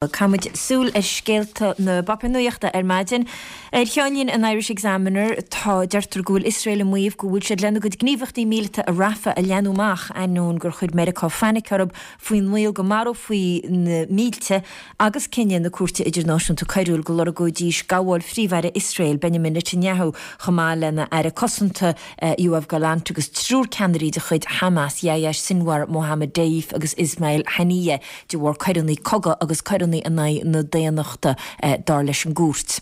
Caithfimid súil ar scéalta na bpáipéar nuachta ar maidin. Ar cheannlíne an Irish Examiner tá, deirtear go bhfuil Iosrael ag maíomh go bhfuil siad lena gcuid gníomhaíochtaí míleata i Rafah a leathnú amach ainneoin gur chuir Meiriceá fainic orthu faoin mbaol go marófaí na mílte agus cinneadh na Cúirte Idirnáisiúnta Coiriúil go lorgóidís gabháil Phríomh-Aire Iosrael, Benjamin Netanyahu, chomh maith lena Aire Cosanta, Yoav Gallant agus triúr ceannairí de chuid Hamas, Yahya Sinwar, Mohammed Deif agus Ismail Haniyeh. de bharr coireanna cogaidh agus coireanna in aghaidh na daonnachta, dar leis an gcúirt.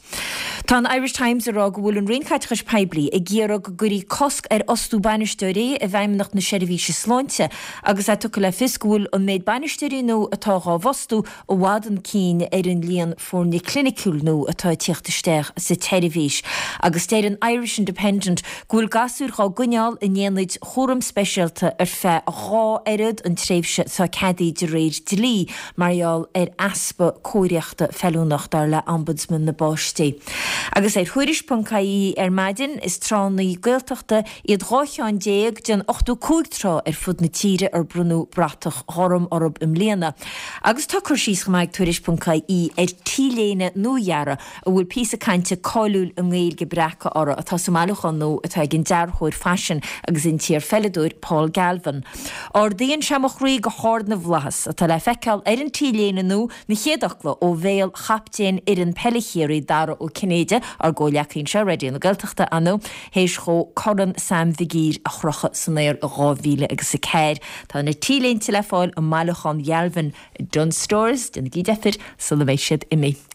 Tá an Irish Times ag rá go bhfuil an Roinn Caiteachais Poiblí ag iarraidh go gcuirfí cosc ar fhostú bainisteoirí i bhFeidhmeannacht na Seirbhíse Sláinte agus é tugtha le fios go bhfuil an méid bainisteoirí nua atá dhá bhfostú i bhfad chun cinn ar an líon foirne cliniciúil nua atá ag tíocht isteach sa tseirbhís. Agus deir an Irish Independent go bhfuil gasúir dhá gcoinneáil in aonaid chúraim speisialta ar feadh a dhá oiread an tréimhse atá ceadaithe de réir dlí mar gheall ar easpa cóiríochta feiliúnach, dar le Ombudsman na bPáistí. Agus ar Thuairisc.ie ar maidin, is tránna Gaeltachta iad 12 cheann den 85 trá ar fud na tíre ar bronnadh bratach ghorm orthu i mbliana. Agus tá cur síos chomh maith ag Tuairisc.ie ar T-léine nua-dheartha a bhfuil píosa cainte cáiliúil i nGaeilge breactha orthu, atá sa mbailiúchán nua atá ag an dearthóir faisin agus an t-iarpheileadóir Paul Galvin. Ardaíonn sé mo chroí go hard na bhflaitheas, atá le feiceáil ar an T-léine nua, na chéad fhocla ó bhéal chaptaen fhoireann peile Chiarraí, Dara Ó Cinnéide, ár gcomhghleacaí anseo i Raidió na Gaeltachta, ar ndóigh, théis dhó Corn Sam Mhig Uidhir a chrochadh san aer i 2004. Tá na T-léinte le fáil i mbailiúchán Ghalvin i Dunnes Stores, déanaigí deifir sula mbeidh siad imithe.